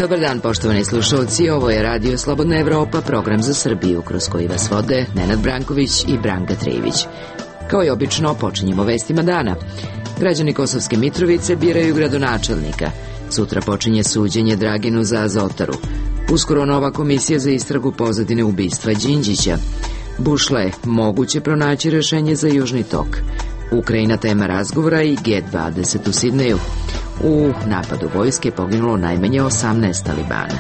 Dobar dan, poštovani slušalci, ovo je Radio Slobodna Evropa, program za Srbiju, kroz koji vas vode Nenad Branković i Branka Trejević. Kao i obično, počinjemo vestima dana. Građani Kosovske Mitrovice biraju gradonačelnika. Sutra počinje suđenje Draginu za Azotaru. Uskoro nova komisija za istragu pozadine ubistva Đinđića. Bušle, moguće pronaći rešenje za Južni tok. Ukrajina tema razgovora i G20 u Sidneju. U napadu vojske poginulo najmanje 18 talibana.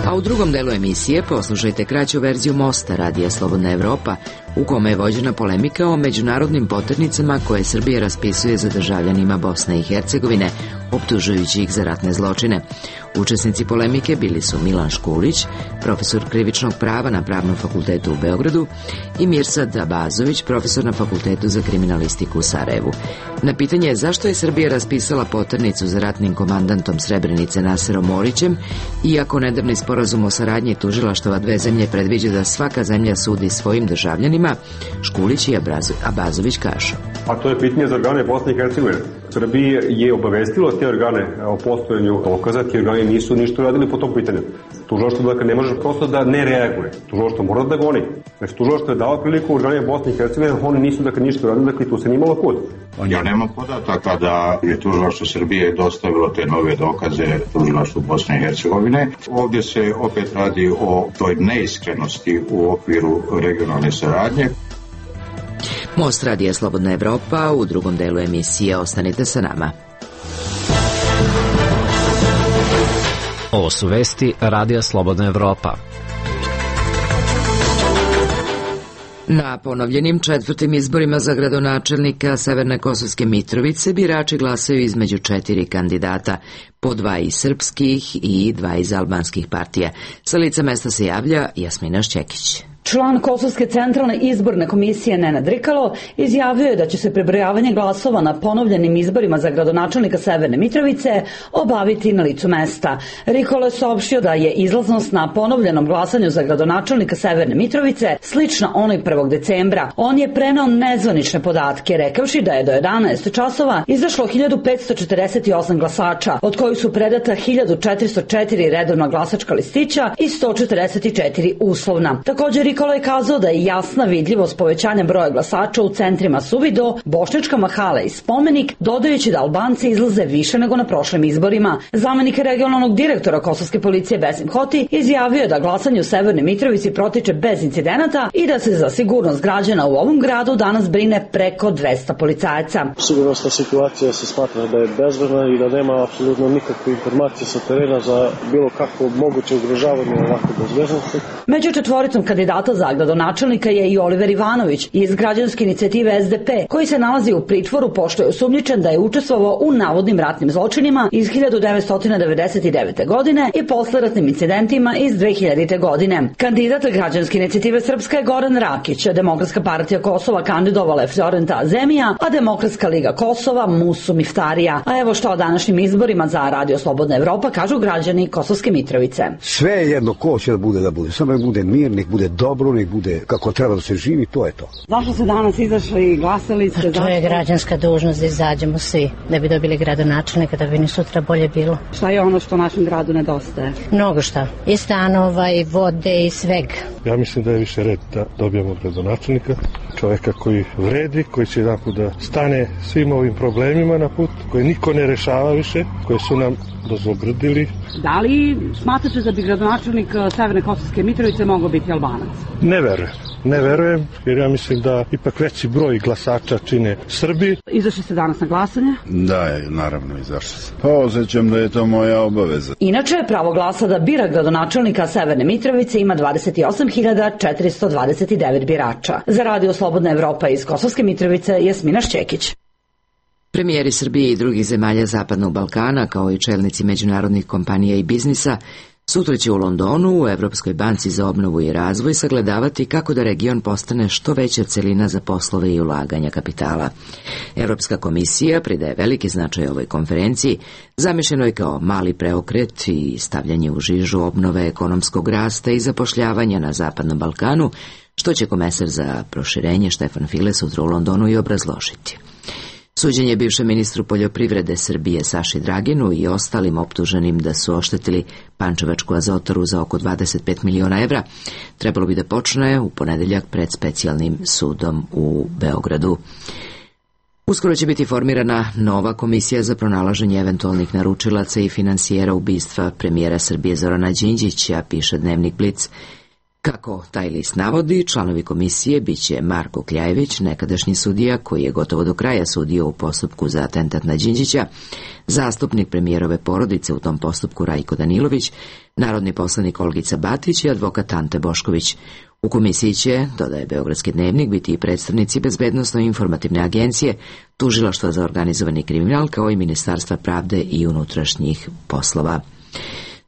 A u drugom delu emisije poslušajte kraću verziju mosta Radija Slobodna Evropa, u kome je vođena polemika o međunarodnim poternicama koje Srbija raspisuje za državljanima Bosne i Hercegovine, optužujući ih za ratne zločine. Učesnici polemike bili su Milan Škulić, profesor krivičnog prava na Pravnom fakultetu u Beogradu, i Mirsad Abazović, profesor na Fakultetu za kriminalistiku u Sarajevu. Na pitanje zašto je Srbija raspisala poternicu za ratnim komandantom Srebrenice Naserom Orićem, iako nedavni sporazum o saradnji tužilaštava dve zemlje predviđa da svaka zemlja sudi svojim državljanima, Škulić i Abazović kažu. A to je pitanje za organe Bosne i Hercegovine. Srbije je obavestilo te organe o postojanju dokaza, ti organi nisu ništa uradili po tom pitanju. Tužilaštvo dakle ne može prosto da ne reaguje. Tužilaštvo mora da goni. Znači tužilaštvo je dao priliku organe Bosne i Hercegovine, oni nisu dakle ništa uradili, dakle tu se nije imalo kud. Ja nemam podataka da je tužilaštvo Srbije dostavilo te nove dokaze tužilaštvu Bosne i Hercegovine. Ovdje se opet radi o toj neiskrenosti u okviru regionalne saradnje. Most Radija Slobodna Evropa, u drugom delu emisije ostanite sa nama. Ovo su vesti Radija Slobodna Evropa. Na ponovljenim četvrtim izborima za gradonačelnika Severne Kosovske Mitrovice birači glasaju između 4 kandidata, po 2 iz srpskih i 2 iz albanskih partija. Sa lica mesta se javlja Jasmina Šćekić. Član Kosovske centralne izborne komisije Nenad Rikalo izjavio je da će se prebrojavanje glasova na ponovljenim izborima za gradonačelnika Severne Mitrovice obaviti na licu mesta. Rikalo je saopštio da je izlaznost na ponovljenom glasanju za gradonačelnika Severne Mitrovice slična onoj 1. decembra. On je preneo nezvanične podatke, rekavši da je do 11 časova izašlo 1548 glasača, od kojih su predata 1404 redovna glasačka listića i 144 uslovna. Također Rikalo je kazao da je jasna vidljivost povećanja broja glasača u centrima Suvido, Bošnjačka mahala i Spomenik, dodajući da Albanci izlaze više nego na prošlim izborima. Zamenik regionalnog direktora Kosovske policije Besim Hoti izjavio je da glasanje u Severnoj Mitrovici protiče bez incidenata i da se za sigurnost građana u ovom gradu danas brine preko 200 policajaca. Sigurnosna situacija se smatra da je bezbedna i da nema apsolutno nikakve informacije sa terena za bilo kakvo moguće ugrožavanje ovakve bezbednosti. Među četvoricom kandidata za gradonačelnika je i Oliver Ivanović iz građanske inicijative SDP, koji se nalazi u pritvoru pošto je osumnjičen da je učestvovao u navodnim ratnim zločinima iz 1999. godine i posleratnim incidentima iz 2000. godine. Kandidat građanske inicijative Srpska je Goran Rakić, Demokratska partija Kosova kandidovala je Florenta Azemija, a Demokratska liga Kosova Musu Miftarija. A evo što o današnjim izborima za Radio Slobodna Evropa kažu građani Kosovske Mitrovice. Sve je jedno ko će da bude. Samo nek bude mir, nek bude dobro, nek bude kako treba da se živi, to je to. Zašto ste danas izašli i glasali ste? To je građanska dužnost da izađemo svi, da bi dobili gradonačelnika, da bi ni sutra bolje bilo. Šta je ono što našem gradu nedostaje? Mnogo šta. I stanova, i vode, i svega. Ja mislim da je više red da dobijemo gradonačelnika, čovjeka koji vredi, koji će jedanput da stane svim ovim problemima na put, koje niko ne rešava više, koje su nam dozlogrdili. Da li smatrate da bi gradonačelnik Severne Kosovske Mitrovice mogao biti Albanac? Ne verujem, jer ja mislim da ipak veći broj glasača čine Srbi. Izašli ste danas na glasanje? Da, naravno izašli sam. Pa osjećam da je to moja obaveza. Inače, pravo glasa da bira gradonačelnika Severne Mitrovice ima 28.429 birača. Za Radio Slobodna Evropa iz Kosovske Mitrovice, Jasmina Šćekić. Premijeri Srbije i drugih zemalja Zapadnog Balkana, kao i čelnici međunarodnih kompanija i biznisa, sutra će u Londonu u Evropskoj banci za obnovu i razvoj sagledavati kako da region postane što veća celina za poslove i ulaganja kapitala. Evropska komisija pridaje veliki značaj ovoj konferenciji, zamišljenoj kao mali preokret i stavljanje u žižu obnove ekonomskog rasta i zapošljavanja na Zapadnom Balkanu, što će komesar za proširenje Štefan File sutra u Londonu i obrazložiti. Suđenje bivšem ministru poljoprivrede Srbije Saši Draginu i ostalim optuženim da su oštetili Pančevačku azotaru za oko 25 miliona evra trebalo bi da počne u ponedeljak pred specijalnim sudom u Beogradu. Uskoro će biti formirana nova komisija za pronalaženje eventualnih naručilaca i finansijera ubistva premijera Srbije Zorana Đinđića, piše Dnevnik Blic. Kako taj list navodi, članovi komisije biće Marko Kljajević, nekadašnji sudija koji je gotovo do kraja sudio u postupku za atentat na Đinđića, zastupnik premijerove porodice u tom postupku Rajko Danilović, narodni poslanik Olgica Batić i advokat Ante Bošković. U komisiji će, dodaje Beogradski dnevnik, biti i predstavnici Bezbednosno-informativne agencije, Tužilaštva za organizovani kriminal, kao i Ministarstva pravde i unutrašnjih poslova.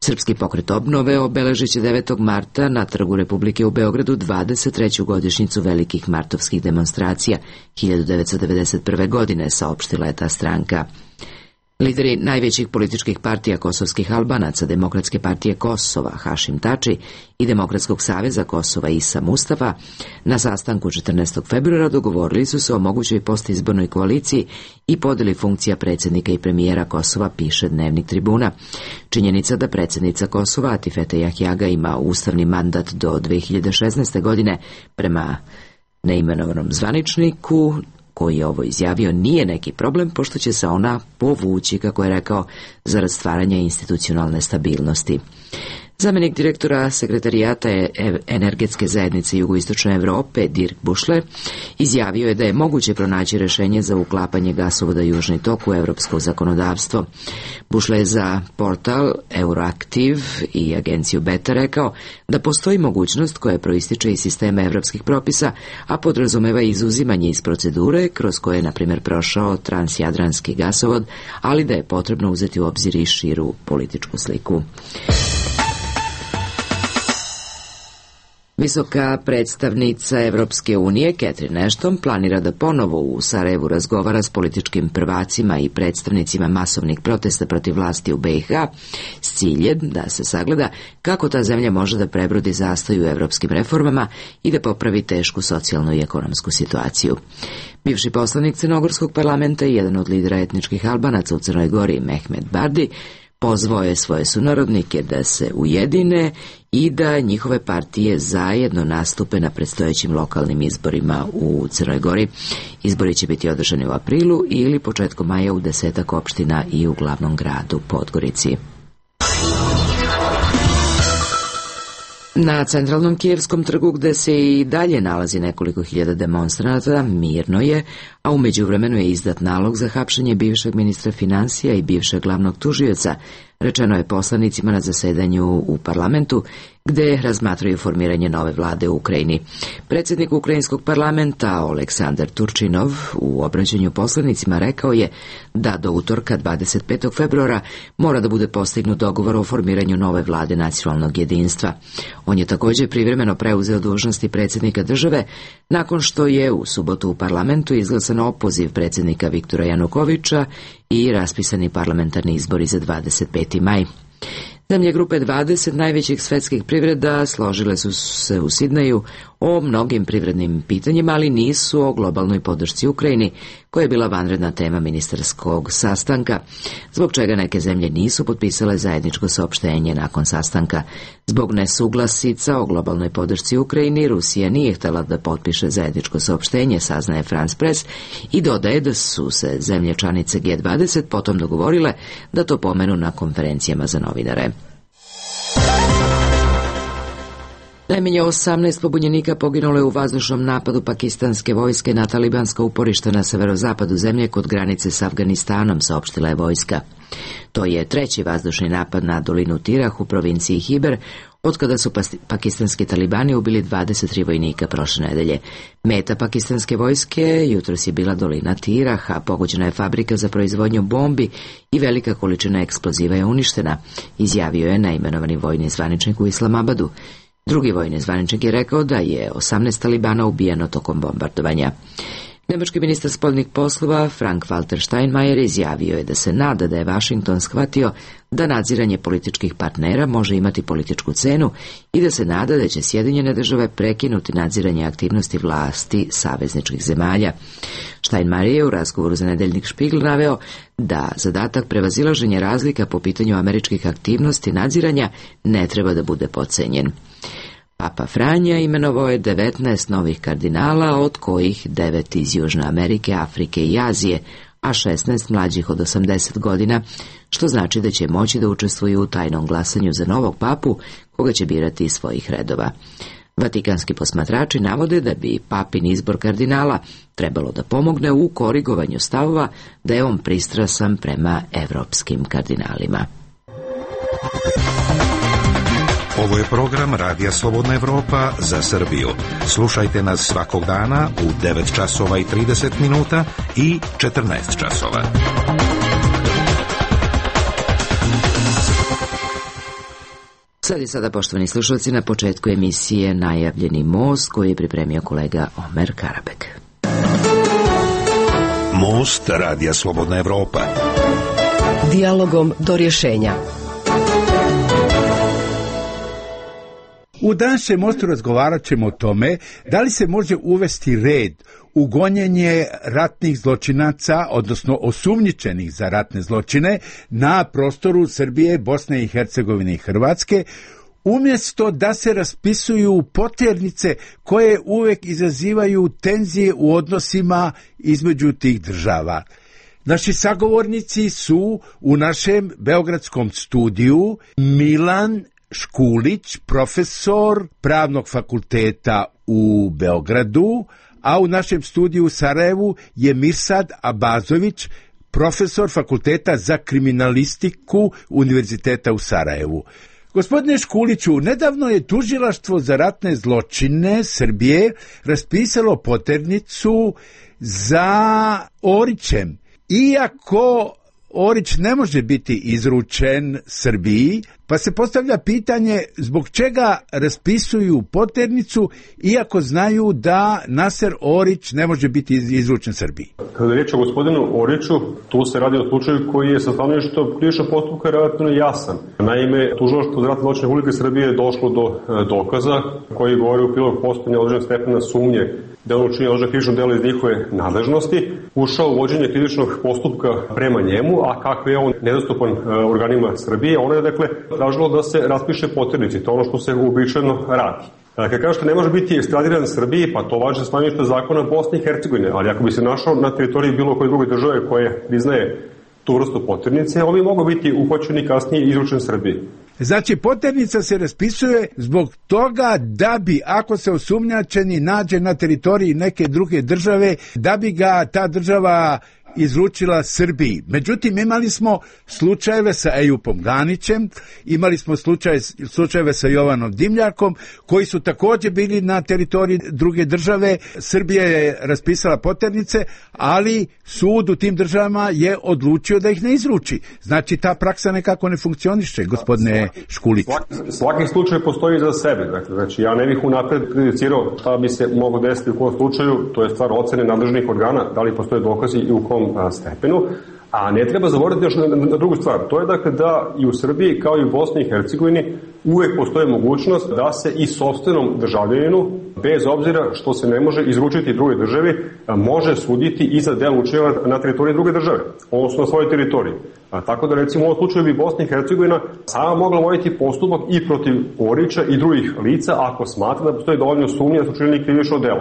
Srpski pokret obnove obeležit će 9. marta na Trgu Republike u Beogradu 23. godišnjicu velikih martovskih demonstracija 1991. godine, saopštila je ta stranka. Lideri najvećih političkih partija kosovskih Albanaca, Demokratske partije Kosova Hašim Tači i Demokratskog saveza Kosova Isa Mustafa na sastanku 14. februara dogovorili su se o mogućoj postizbornoj koaliciji i podeli funkcija predsjednika i premijera Kosova, piše Dnevnik Tribuna. Činjenica da predsjednica Kosova Atifete Jahjaga ima ustavni mandat do 2016. godine prema neimenovanom zvaničniku koji je ovo izjavio, nije neki problem, pošto će se ona povući, kako je rekao, zarad stvaranja institucionalne stabilnosti. Zamenik direktora sekretarijata energetske zajednice Jugoistočne Evrope, Dirk Bušler, izjavio je da je moguće pronaći rešenje za uklapanje gasovoda Južni tok u evropsko zakonodavstvo. Bušler je za portal Euroaktiv i agenciju Beta rekao da postoji mogućnost koja proističe iz sistema evropskih propisa, a podrazumeva izuzimanje iz procedure kroz koje je, na primjer, prošao transjadranski gasovod, ali da je potrebno uzeti u obzir i širu političku sliku. Visoka predstavnica Evropske unije, Catherine Ashton, planira da ponovo u Sarajevu razgovara s političkim prvacima i predstavnicima masovnih protesta protiv vlasti u BiH s ciljem da se sagleda kako ta zemlja može da prebrodi zastoj u evropskim reformama i da popravi tešku socijalnu i ekonomsku situaciju. Bivši poslanik Crnogorskog parlamenta i jedan od lidera etničkih Albanaca u Crnoj Gori, Mehmet Bardi, pozvao je svoje sunarodnike da se ujedine i da njihove partije zajedno nastupe na predstojećim lokalnim izborima u Crnoj Gori. Izbori će biti održani u aprilu ili početkom maja u 10 opština i u glavnom gradu Podgorici. Na centralnom Kijevskom trgu, gde se i dalje nalazi nekoliko hiljada demonstranata, mirno je, a u međuvremenu je izdat nalog za hapšenje bivšeg ministra finansija i bivšeg glavnog tužioca, rečeno je poslanicima na zasedanju u parlamentu, gde razmatraju formiranje nove vlade u Ukrajini. Predsjednik ukrajinskog parlamenta Oleksandar Turčinov u obraćanju poslanicima rekao je da do utorka 25. februara mora da bude postignut dogovor o formiranju nove vlade nacionalnog jedinstva. On je također privremeno preuzeo dužnosti predsjednika države nakon što je u subotu u parlamentu izglasan opoziv predsjednika Viktora Janukoviča i raspisani parlamentarni izbori za 25. maj. Zemlje grupe 20 najvećih svetskih privreda složile su se u Sidneju o mnogim privrednim pitanjima, ali nisu o globalnoj podršci Ukrajini, koja je bila vanredna tema ministarskog sastanka, zbog čega neke zemlje nisu potpisale zajedničko saopštenje nakon sastanka. Zbog nesuglasica o globalnoj podršci Ukrajini, Rusija nije htjela da potpiše zajedničko saopštenje, saznaje France Press, i dodaje da su se zemlje članice G20 potom dogovorile da to pomenu na konferencijama za novinare. Najmanje 18 pobunjenika poginulo je u vazdušnom napadu pakistanske vojske na talibanska uporišta na severozapadu zemlje kod granice s Afganistanom, saopštila je vojska. To je treći vazdušni napad na dolinu Tirah u provinciji Hiber, otkada su pakistanski talibani ubili 23 vojnika prošle nedelje. Meta pakistanske vojske jutros je bila dolina Tirah, a pogođena je fabrika za proizvodnju bombi i velika količina eksploziva je uništena, izjavio je neimenovani vojni zvaničnik u Islamabadu. Drugi vojni zvaničnik je rekao da je 18 talibana ubijeno tokom bombardovanja. Nemački ministar spoljnih poslova Frank-Walter Steinmeier izjavio je da se nada da je Vašington shvatio da nadziranje političkih partnera može imati političku cenu i da se nada da će Sjedinjene države prekinuti nadziranje aktivnosti vlasti savezničkih zemalja. Steinmeier je u razgovoru za nedeljnik Spiegel naveo da zadatak prevazilaženja razlika po pitanju američkih aktivnosti nadziranja ne treba da bude podcenjen. Papa Franja imenovao je 19 novih kardinala, od kojih 9 iz Južne Amerike, Afrike i Azije, a 16 mlađih od 80 godina, što znači da će moći da učestvuju u tajnom glasanju za novog papu, koga će birati iz svojih redova. Vatikanski posmatrači navode da bi papin izbor kardinala trebalo da pomogne u korigovanju stavova da je on pristrasan prema evropskim kardinalima. Ovo je program Radija Slobodna Evropa za Srbiju. Slušajte nas svakog dana u 9 časova i 30 minuta i 14 časova. Sad i sada, poštovani slušalci, na početku emisije najavljeni most koji je pripremio kolega Omer Karabek. Most Radija Slobodna Evropa. Dijalogom do rješenja. U današnjem mostu razgovarat ćemo o tome da li se može uvesti red u gonjenje ratnih zločinaca, odnosno osumnjičenih za ratne zločine na prostoru Srbije, Bosne i Hercegovine i Hrvatske, umjesto da se raspisuju poternice koje uvek izazivaju tenzije u odnosima između tih država. Naši sagovornici su u našem beogradskom studiju Milan Škulić, profesor Pravnog fakulteta u Beogradu, a u našem studiju u Sarajevu je Mirsad Abazović, profesor Fakulteta za kriminalistiku Univerziteta u Sarajevu. Gospodine Škuliću, nedavno je Tužilaštvo za ratne zločine Srbije raspisalo poternicu za Orićem. Iako Orić ne može biti izručen Srbiji, pa se postavlja pitanje zbog čega raspisuju poternicu iako znaju da Naser Orić ne može biti izručen Srbiji. Kada je riječ o gospodinu Oriću, tu se radi o slučaju koji je sa stanovišta krivičnog postupka relativno jasan. Naime, Tužilaštvo za ratne zločine Republike Srbije je došlo do dokaza koji govori u prilog postojanja određenog stepena sumnje da on učinio određeno krivično delo iz njihove nadležnosti, ušao u vođenje krivičnog postupka prema njemu, a kako je on nedostupan organima Srbije, ona je dakle tražilo da se raspiše poternici, to je ono što se uobičajeno radi. Kad kažete ne može biti ekstradiran Srbiji, pa to važi za stanovište zakona Bosne i Hercegovine, ali ako bi se našao na teritoriji bilo koje druge države koje priznaje tu vrstu poternice, on bi mogao biti uhvaćen kasnije izručen Srbiji. Znači, poternica se raspisuje zbog toga da bi, ako se osumnjačeni nađe na teritoriji neke druge države, da bi ga ta država izručila Srbiji. Međutim, imali smo slučajeve sa Ejupom Ganićem, imali smo slučajeve sa Jovanom Dimljakom, koji su također bili na teritoriji druge države. Srbija je raspisala poternice, ali sud u tim državama je odlučio da ih ne izruči. Znači, ta praksa nekako ne funkcioniše, gospodine Škulić. Svaki slučaj postoji za sebe. Znači, ja ne bih unapred prejudicirao šta bi se moglo desiti u kom slučaju, to je stvar ocene nadležnih organa, da li postoje dokazi i u kom stepenu, a ne treba zaboraviti još na drugu stvar. To je dakle da i u Srbiji kao i u Bosni i Hercegovini uvek postoji mogućnost da se i sopstvenom državljaninu, bez obzira što se ne može izručiti druge državi, može suditi i za delo učinjeno na teritoriji druge države, odnosno na svojoj teritoriji. Tako da recimo u ovom slučaju bi Bosna i Hercegovina sama mogla voditi postupak i protiv Orića i drugih lica ako smatra da postoji dovoljno sumnje da su učinili krivično delo.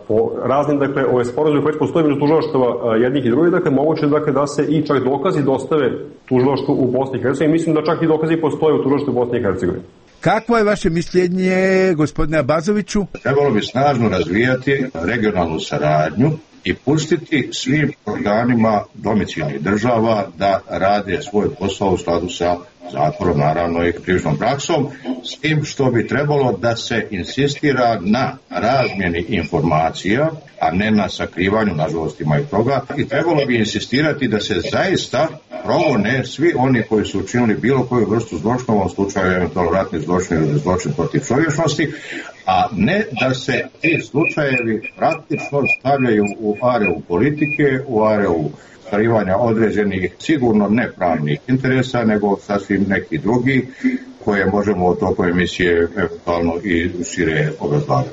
Po raznim, dakle, ove sporazume koje postoje među tužilaštava jednih i drugih, dakle, moguće dakle, da se i čak dokazi dostave tužilaštvu u Bosni i Hercegovini. Mislim da čak i dokazi postoje u tužilaštvu u Bosni i Hercegovini. Kakvo je vaše mišljenje, gospodine Abazoviću? Trebalo bi snažno razvijati regionalnu saradnju i pustiti svim organima domicilnih država da rade svoj posao u skladu sa zatvorom, naravno i krivičnom praksom, s tim što bi trebalo da se insistira na razmjeni informacija, a ne na sakrivanju, nažalost ima i toga, i trebalo bi insistirati da se zaista progone svi oni koji su učinili bilo koju vrstu zločina, u ovom slučaju eventualno ratni zločin ili zločin protiv čovječnosti, a ne da se ti slučajevi praktično stavljaju u areu politike, u areu ostvarivanja određenih, sigurno nepravnih interesa, nego sasvim neki drugi koje možemo od toku emisije eventualno i šire obrazlagati.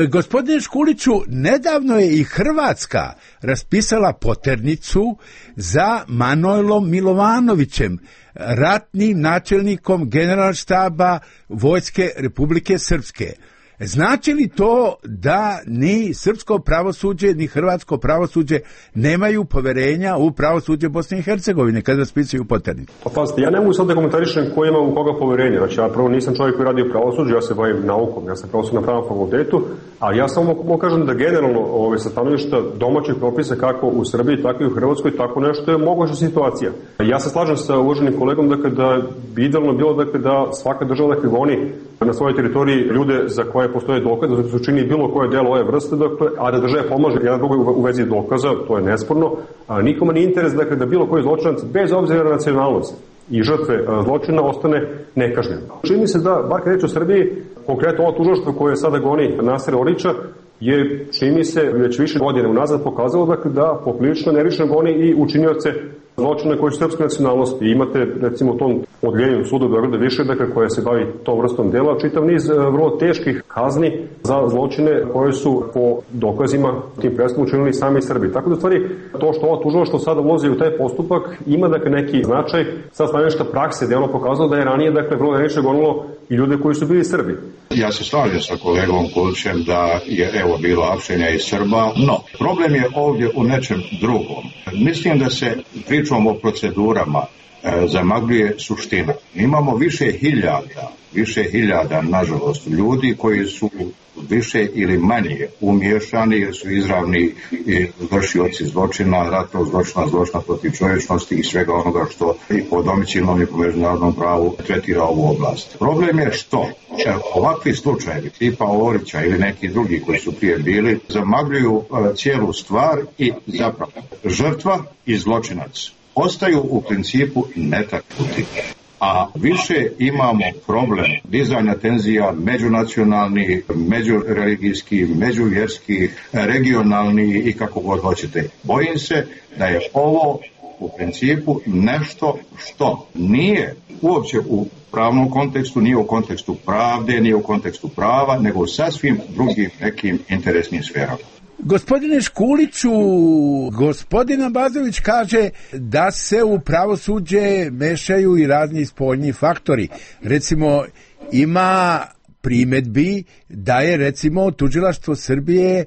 Gospodine Škuliću, nedavno je i Hrvatska raspisala poternicu za Manojlom Milovanovićem, ratnim načelnikom Generalštaba Vojske Republike Srpske. Znači li to da ni srpsko pravosuđe, ni hrvatsko pravosuđe nemaju poverenja u pravosuđe Bosne i Hercegovine kada raspisuju poternicu? Pa pazite, ja ne mogu sad da komentarišem ko ima u koga poverenja. Znači, ja prvo nisam čovjek koji radi u pravosuđu, ja se bavim naukom, ja sam pravosudni na pravnom fakultetu, ali ja samo mogu kažem da generalno sa stanovišta domaćih propisa kako u Srbiji, tako i u Hrvatskoj, tako nešto je moguća situacija. Ja se slažem sa uvaženim kolegom da bi idealno bilo da svaka država goni na svojoj teritoriji ljude za koje postoje dokaze, da su čini bilo koje delo ove vrste, a da država pomaže jedan drugoj u vezi dokaza, to je nesporno. Nikome nije interes da bilo koji zločinac, bez obzira na nacionalnost i žrtve zločina, ostane nekažnjen. Čini se da, bar kad reći o Srbiji, konkretno ovo tužilaštvo koje sada goni Nasera Orića, je, čini mi se, već više godine unazad pokazalo da poprilično nerično goni i učinioce zločine koji su srpske nacionalnosti. Imate, recimo, u tom odljenju suda Beograda više, koja se bavi tom vrstom dela, čitav niz vrlo teških kazni za zločine koje su po dokazima tim presudama učinili sami Srbi. Tako da, stvari, to što ovo tužilaštvo sada ulazi u taj postupak ima neki značaj sa stanovišta prakse, gde ono pokazalo da je ranije vrlo nerično gonilo i ljude koji su bili Srbi. Ja se slažem sa kolegom Kulićem da je bilo apšenja i Srba, no problem je ovdje u nečem drugom. Mislim da se pričom o procedurama zamagljuje suština. Imamo više hiljada, nažalost, ljudi koji su više ili manje umiješani jer su izravni vršioci zločina, ratnog zločina, zločina protiv čovječnosti i svega onoga što i po domicilnom i po međunarodnom pravu tretira ovu oblast. Problem je što ovakvi slučajevi tipa Orića ili neki drugi koji su prije bili zamagljuju cijelu stvar i zapravo žrtva i zločinac ostaju u principu netaknuti. A više imamo problem dizanja tenzija međunacionalni, međureligijski, međuvjerski, regionalni i kako god hoćete. Bojim se da je ovo u principu nešto što nije uopće u pravnom kontekstu, nije u kontekstu pravde, nije u kontekstu prava, nego u sasvim drugim nekim interesnim sferama. Gospodine Škuliću, gospodin Abazović kaže da se u pravosuđe mešaju i razni spoljni faktori. Recimo, ima primedbi da je, recimo, tužilaštvo Srbije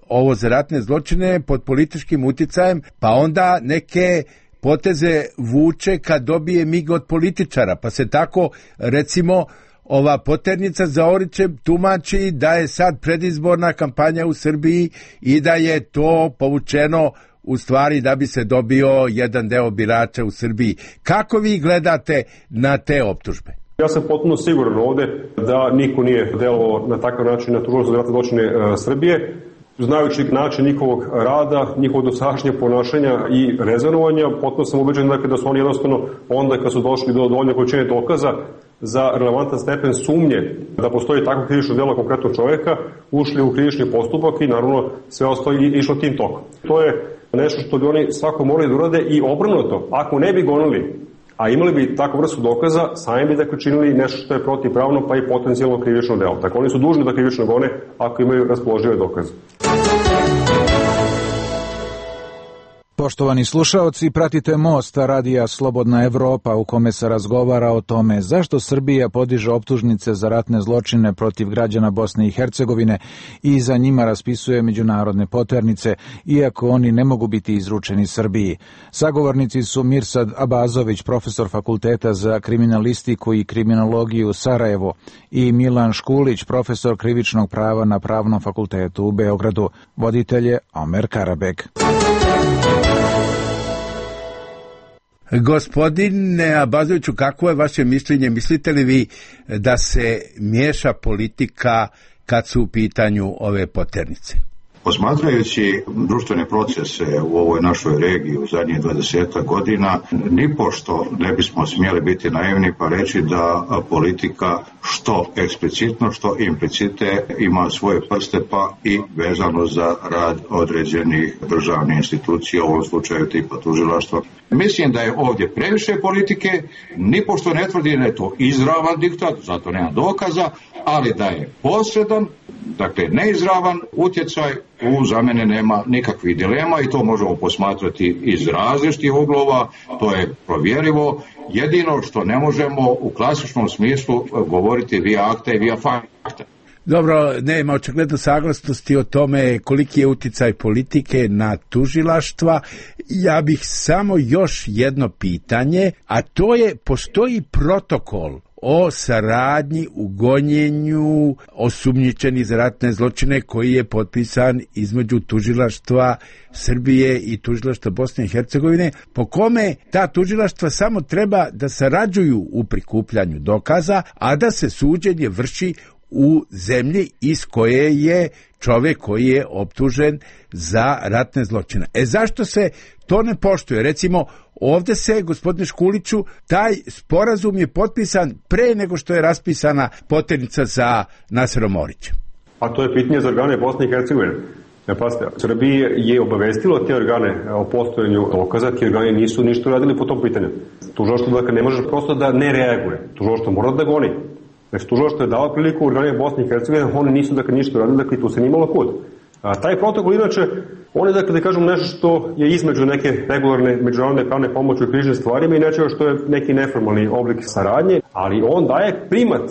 ovo za ratne zločine pod političkim uticajem, pa onda neke poteze vuče kad dobije mig od političara, pa se tako, recimo, ova poternica za Orićem tumači da je sad predizborna kampanja u Srbiji i da je to povučeno u stvari da bi se dobio jedan deo birača u Srbiji. Kako vi gledate na te optužbe? Ja sam potpuno siguran ovde da niko nije delovao na takav način na tužilaštvo za ratne zločine Srbije. Znajući način njihovog rada, njihovog dosadašnjeg ponašanja i rezonovanja, potpuno sam ubeđen da su oni jednostavno onda kad su došli do dovoljne količine dokaza za relevantan stepen sumnje da postoji takvo krivično delo konkretnog čovjeka, ušli u krivični postupak i naravno sve ostalo išlo tim tokom. To je nešto što bi oni svako morali da urade i obrnuto. Ako ne bi gonili, a imali bi takvu vrstu dokaza, sami bi činili nešto što je protivpravno pa i potencijalno krivično delo. Tako oni su dužni da krivično gone ako imaju raspoložive dokaze. Poštovani slušaoci, pratite Most radija Slobodna Evropa u kome se razgovara o tome zašto Srbija podiže optužnice za ratne zločine protiv građana Bosne i Hercegovine i za njima raspisuje međunarodne poternice, iako oni ne mogu biti izručeni Srbiji. Sagovornici su Mirsad Abazović, profesor Fakulteta za kriminalistiku i kriminologiju Sarajevo, i Milan Škulić, profesor krivičnog prava na Pravnom fakultetu u Beogradu. Voditelj je Omer Karabek. Gospodine Abazoviću, kako je vaše mišljenje? Mislite li vi da se miješa politika kad su u pitanju ove poternice? Posmatrajući društvene procese u ovoj našoj regiji u zadnjih 20 godina, nipošto ne bismo smjeli biti naivni pa reći da politika što eksplicitno, što implicite ima svoje prste pa i vezano za rad određenih državnih institucija, u ovom slučaju tipa tužilaštva. Mislim da je ovdje previše politike, nipošto ne tvrdi da je to izravan diktat, zato nema dokaza, ali da je posredan, dakle neizravan utjecaj, za mene nema nikakvih dilema i to možemo posmatrati iz različitih uglova, to je provjerivo. Jedino što ne možemo u klasičnom smislu govoriti via acta i via facta. Dobro, nema očigledno saglasnosti o tome koliki je utjecaj politike na tužilaštva. Ja bih samo još jedno pitanje, a to je, postoji protokol o saradnji u gonjenju osumnjičenih za ratne zločine koji je potpisan između tužilaštva Srbije i tužilaštva Bosne i Hercegovine, po kome ta tužilaštva samo treba da sarađuju u prikupljanju dokaza, a da se suđenje vrši u zemlji iz koje je čovjek koji je optužen za ratne zločine. Zašto se to ne poštuje? Recimo, ovdje se, gospodine Škuliću, taj sporazum je potpisan pre nego što je raspisana poternica za Naserom Orićem. A to je pitanje za organe Bosne i Hercegovine. Pazite, Srbije je obavestilo te organe o postojanju dokaza, ti organi nisu ništa radili po tom pitanju. Tužilaštvo dakle ne može prosto da ne reaguje. Tužilaštvo mora da goni. Znači, tužilaštvo je dao priliku organima Bosne i Hercegovine, oni nisu dakle ništa radili, dakle tu se nimalo kud. Taj protokol, inače, on je, dakle, da kažem, nešto što je između neke regularne međunarodne pravne pomoći u križnim stvarima i nečega što je neki neformalni oblik saradnje, ali on daje primat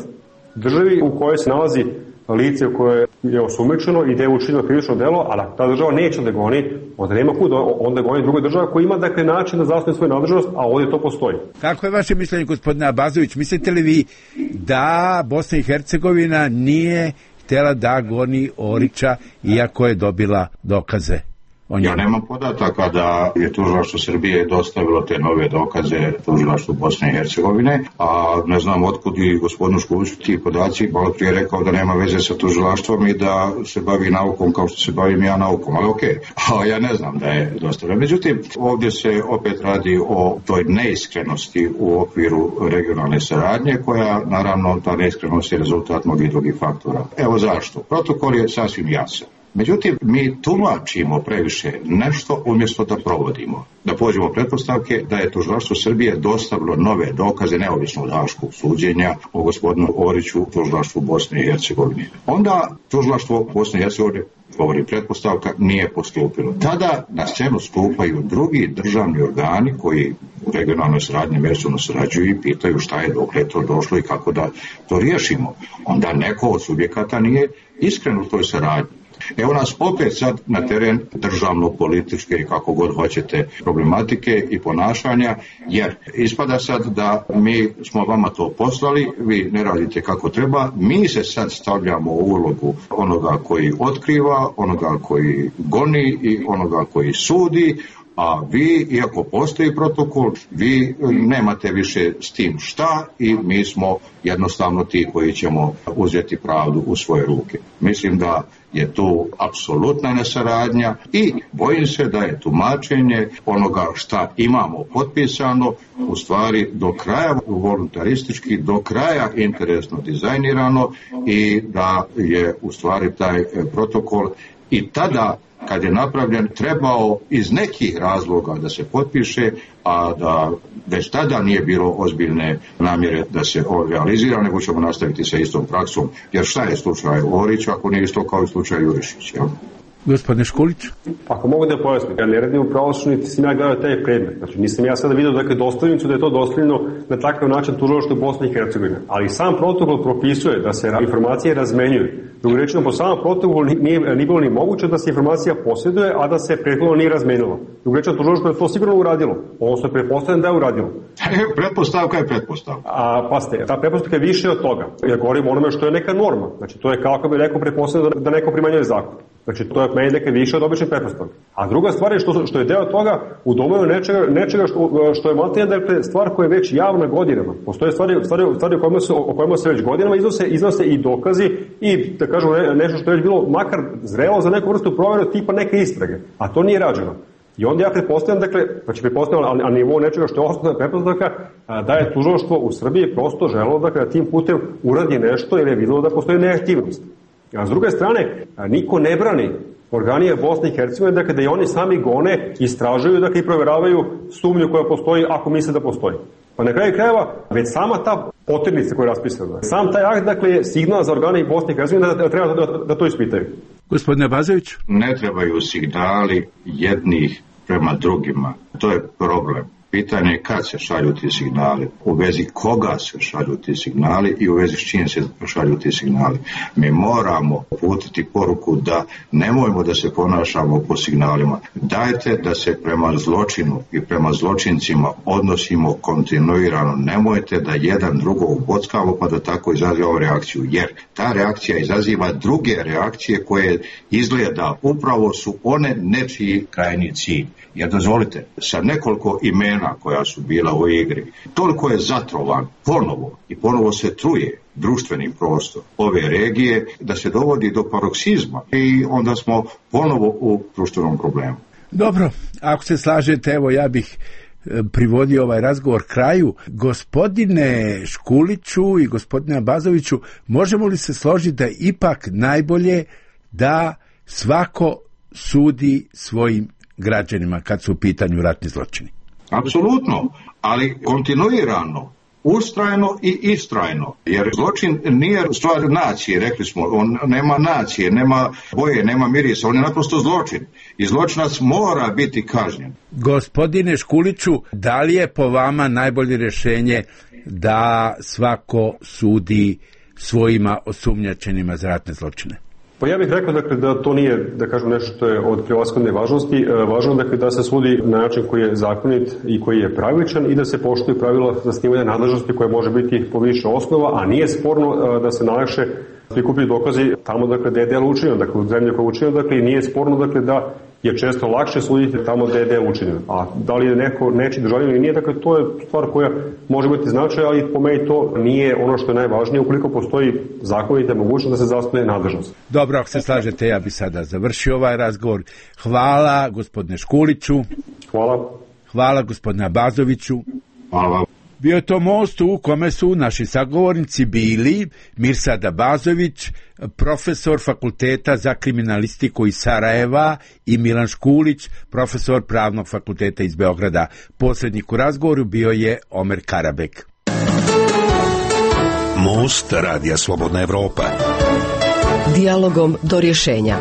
državi u kojoj se nalazi lice koje je osumnjičeno i da je učinilo krivično delo, ali ta država neće da goni, onda nema kud, onda goni druga država koja ima, dakle, način da zasnuje svoju nadležnost, a ovdje to postoji. Kako je vaše mišljenje, gospodine Abazović? Mislite li vi da Bosna i Hercegovina nije htjela da goni Orića iako je dobila dokaze? Ja nemam podataka da je tužilaštvo Srbije dostavilo te nove dokaze tužilaštvu Bosne i Hercegovine, a ne znam otkud i gospodinu Škuliću ti podaci, malo prije rekao da nema veze sa tužilaštvom i da se bavi naukom kao što se bavim ja naukom, ali okej, a ja ne znam da je dostavljeno. Međutim, ovdje se opet radi o toj neiskrenosti u okviru regionalne saradnje, koja naravno ta neiskrenost je rezultat mnogih drugih faktora. Evo zašto. Protokol je sasvim jasan. Međutim, mi tumačimo previše nešto umjesto da provodimo. Da pođemo pretpostavke da je tužilaštvo Srbije dostavilo nove dokaze neovisno od haškog suđenja o gospodinu Oriću tužilaštvu Bosne i Hercegovine. Onda tužilaštvo Bosne i Hercegovine, govori pretpostavka, nije postupilo. Tada na scenu stupaju drugi državni organi koji u regionalnoj saradnji međusobno sarađuju i pitaju šta je, dokle to došlo i kako da to riješimo. Onda neko od subjekata nije iskren u toj saradnji. Evo nas opet sad na teren državno-političke i kako god hoćete problematike i ponašanja, jer ispada sad da mi smo vama to poslali, vi ne radite kako treba, mi se sad stavljamo u ulogu onoga koji otkriva, onoga koji goni i onoga koji sudi, a vi, iako postoji protokol, vi nemate više s tim šta i mi smo jednostavno ti koji ćemo uzeti pravdu u svoje ruke. Mislim da je tu apsolutna nesaradnja i bojim se da je tumačenje onoga šta imamo potpisano u stvari do kraja voluntaristički, do kraja interesno dizajnirano i da je u stvari taj protokol i tada kad je napravljen trebao iz nekih razloga da se potpiše, a da već tada nije bilo ozbiljne namjere da se on realizira, nego ćemo nastaviti sa istom praksom. Jer šta je slučaj Orić ako nije isto kao i slučaj Jurišić, jel? Gospodine Škulić? Ako mogu da pojasnim, ja ne radim u pravosuđu, niti sam ja gledao taj predmet. Znači, nisam ja sada vidio dakle dostavljenicu da je to dostavljeno na takav način tužilaštvu Bosne i Hercegovine. Ali sam protokol propisuje da se informacije razmenjuju. Drugim rečima, po samom protokolu nije bilo ni moguće da se informacija posjeduje, a da se prethodno nije razmenila. Drugim rečima, tužilaštvo je to sigurno uradilo. Ovo se pretpostavljam da je uradilo. Pretpostavka je pretpostavka. A pasite, ta pretpostavka je više od toga. Ja govorim o onome što je neka norma. Znači, to je kako bi neko pretpostavljeno da neko primanjuje zakon. Znači, to je meni nekad više od običnih pretpostavka. A druga stvar je što je deo toga u domenu nečega što je maltene, dakle, stvar koja je već javna godinama. Postoje stvari o kojima se već godinama iznose i dokazi i, da kažem, nešto što je već bilo makar zrelo za neku vrstu provjeru tipa neke istrage. A to nije rađeno. I onda ja pretpostavljam, dakle, na nivou nečega što je osnovna pretpostavka, da je tužilaštvo u Srbiji prosto želelo da tim putem uradi nešto jer je videlo da postoji neaktivnost. A s druge strane, niko ne brani organije Bosne i Hercegovine, dakle, da i oni sami gone, istražuju, dakle, i proveravaju sumnju koja postoji ako misle da postoji. Pa na kraju krajeva, već sama ta poternica koja je raspisana, sam taj akt, dakle, je signal za organe Bosne i Hercegovine da treba da to ispitaju. Gospodine Bazović? Ne trebaju signali jednih prema drugima. To je problem. Pitanje je kad se šalju ti signali, u vezi koga se šalju ti signali i u vezi s čim se šalju ti signali. Mi moramo uputiti poruku da nemojmo da se ponašamo po signalima. Dajte da se prema zločinu i prema zločincima odnosimo kontinuirano. Nemojte da jedan drugog bockamo pa da tako izazivamo reakciju. Jer ta reakcija izaziva druge reakcije koje izgleda upravo su one nečiji krajnji cilj. Jer dozvolite, sa nekoliko imena koja su bila u igri, toliko je zatrovan ponovo se truje društveni prostor ove regije da se dovodi do paroksizma i onda smo ponovo u društvenom problemu. Dobro, ako se slažete, evo ja bih privodio ovaj razgovor kraju. Gospodine Škuliću i gospodine Bazoviću, možemo li se složiti da je ipak najbolje da svako sudi svojim građanima kad su u pitanju ratni zločini? Apsolutno, ali kontinuirano, ustrajno i istrajno, jer zločin nije stvar nacije, rekli smo, on nema nacije, nema boje, nema mirisa, on je naprosto zločin i zločinac mora biti kažnjen. Gospodine Škuliću, da li je po vama najbolje rješenje da svako sudi svojima osumnjačenima za ratne zločine? Pa ja bih rekao, dakle, da to nije, da kažem, nešto što je od prevashodne važnosti. Važno, dakle, da se sudi na način koji je zakonit i koji je pravičan i da se poštuju pravila zasnivanja nadležnosti koje može biti po više osnova, a nije sporno da se najlakše prikupiti dokazi tamo, dakle, gde je delo učinjeno, dakle, u zemlji koja je učinjeno, dakle, i nije sporno, dakle, da je često lakše suditi tamo gde je delo učinjeno. A da li je neko neči državljanin ili nije, dakle, to je stvar koja može biti značaj, ali po meni to nije ono što je najvažnije ukoliko postoji zakonita mogućnost da se zasnuje nadležnost. Dobro, ako se slažete, ja bih sada završio ovaj razgovor. Hvala gospodine Škuliću. Hvala. Hvala gospodine Bazoviću. Hvala. Bio je to most u kome su naši sagovornici bili Mirsada Bazović, profesor Fakulteta za kriminalistiku iz Sarajeva, i Milan Škulić, profesor Pravnog fakulteta iz Beograda. Posrednik u razgovoru bio je Omer Karabek. Most Radija Slobodna Evropa. Dijalogom do rješenja.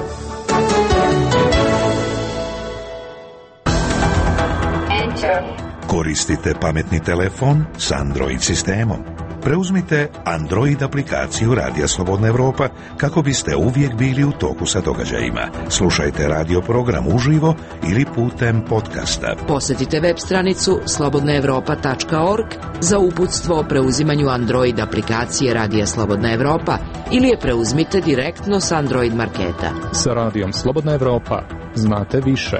Koristite pametni telefon s Android sistemom. Preuzmite Android aplikaciju Radija Slobodna Evropa kako biste uvijek bili u toku sa događajima. Slušajte radio program uživo ili putem podcasta. Posjetite web stranicu slobodnaevropa.org za uputstvo o preuzimanju Android aplikacije Radija Slobodna Evropa ili je preuzmite direktno s Android marketa. Sa Radijom Slobodna Evropa znate više.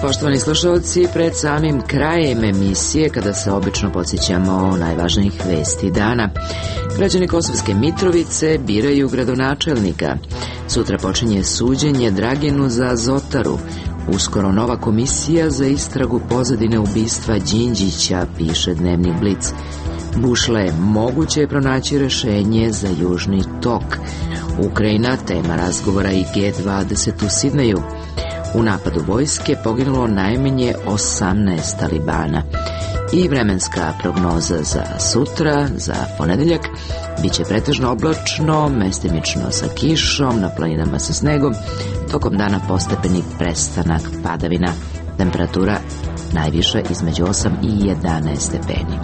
Poštovani slušalci, pred samim krajem emisije, kada se obično podsjećamo najvažnijih vesti dana, građani Kosovske Mitrovice biraju gradonačelnika. Sutra počinje suđenje Draginu za Azotaru. Uskoro nova komisija za istragu pozadine ubistva Đinđića, piše Dnevnik Blic. Bušle, moguće je pronaći rešenje za Južni tok. Ukrajina, tema razgovora i G20 u Sidneju. U napadu vojske poginulo najmanje 18 talibana. I vremenska prognoza za sutra, za ponedeljak, biće pretežno oblačno, mestimično sa kišom, na planinama sa snegom, tokom dana postepeni prestanak padavina. Temperatura najviša između 8 i 11 stepeni.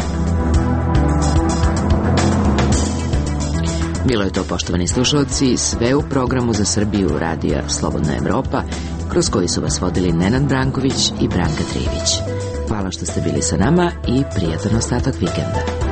Bilo je to, poštovani slušalci, sve u programu za Srbiju Radija Slobodna Evropa, kroz koji su vas vodili Nenad Branković i Branka Trivić. Hvala što ste bili sa nama i prijatan ostatak vikenda.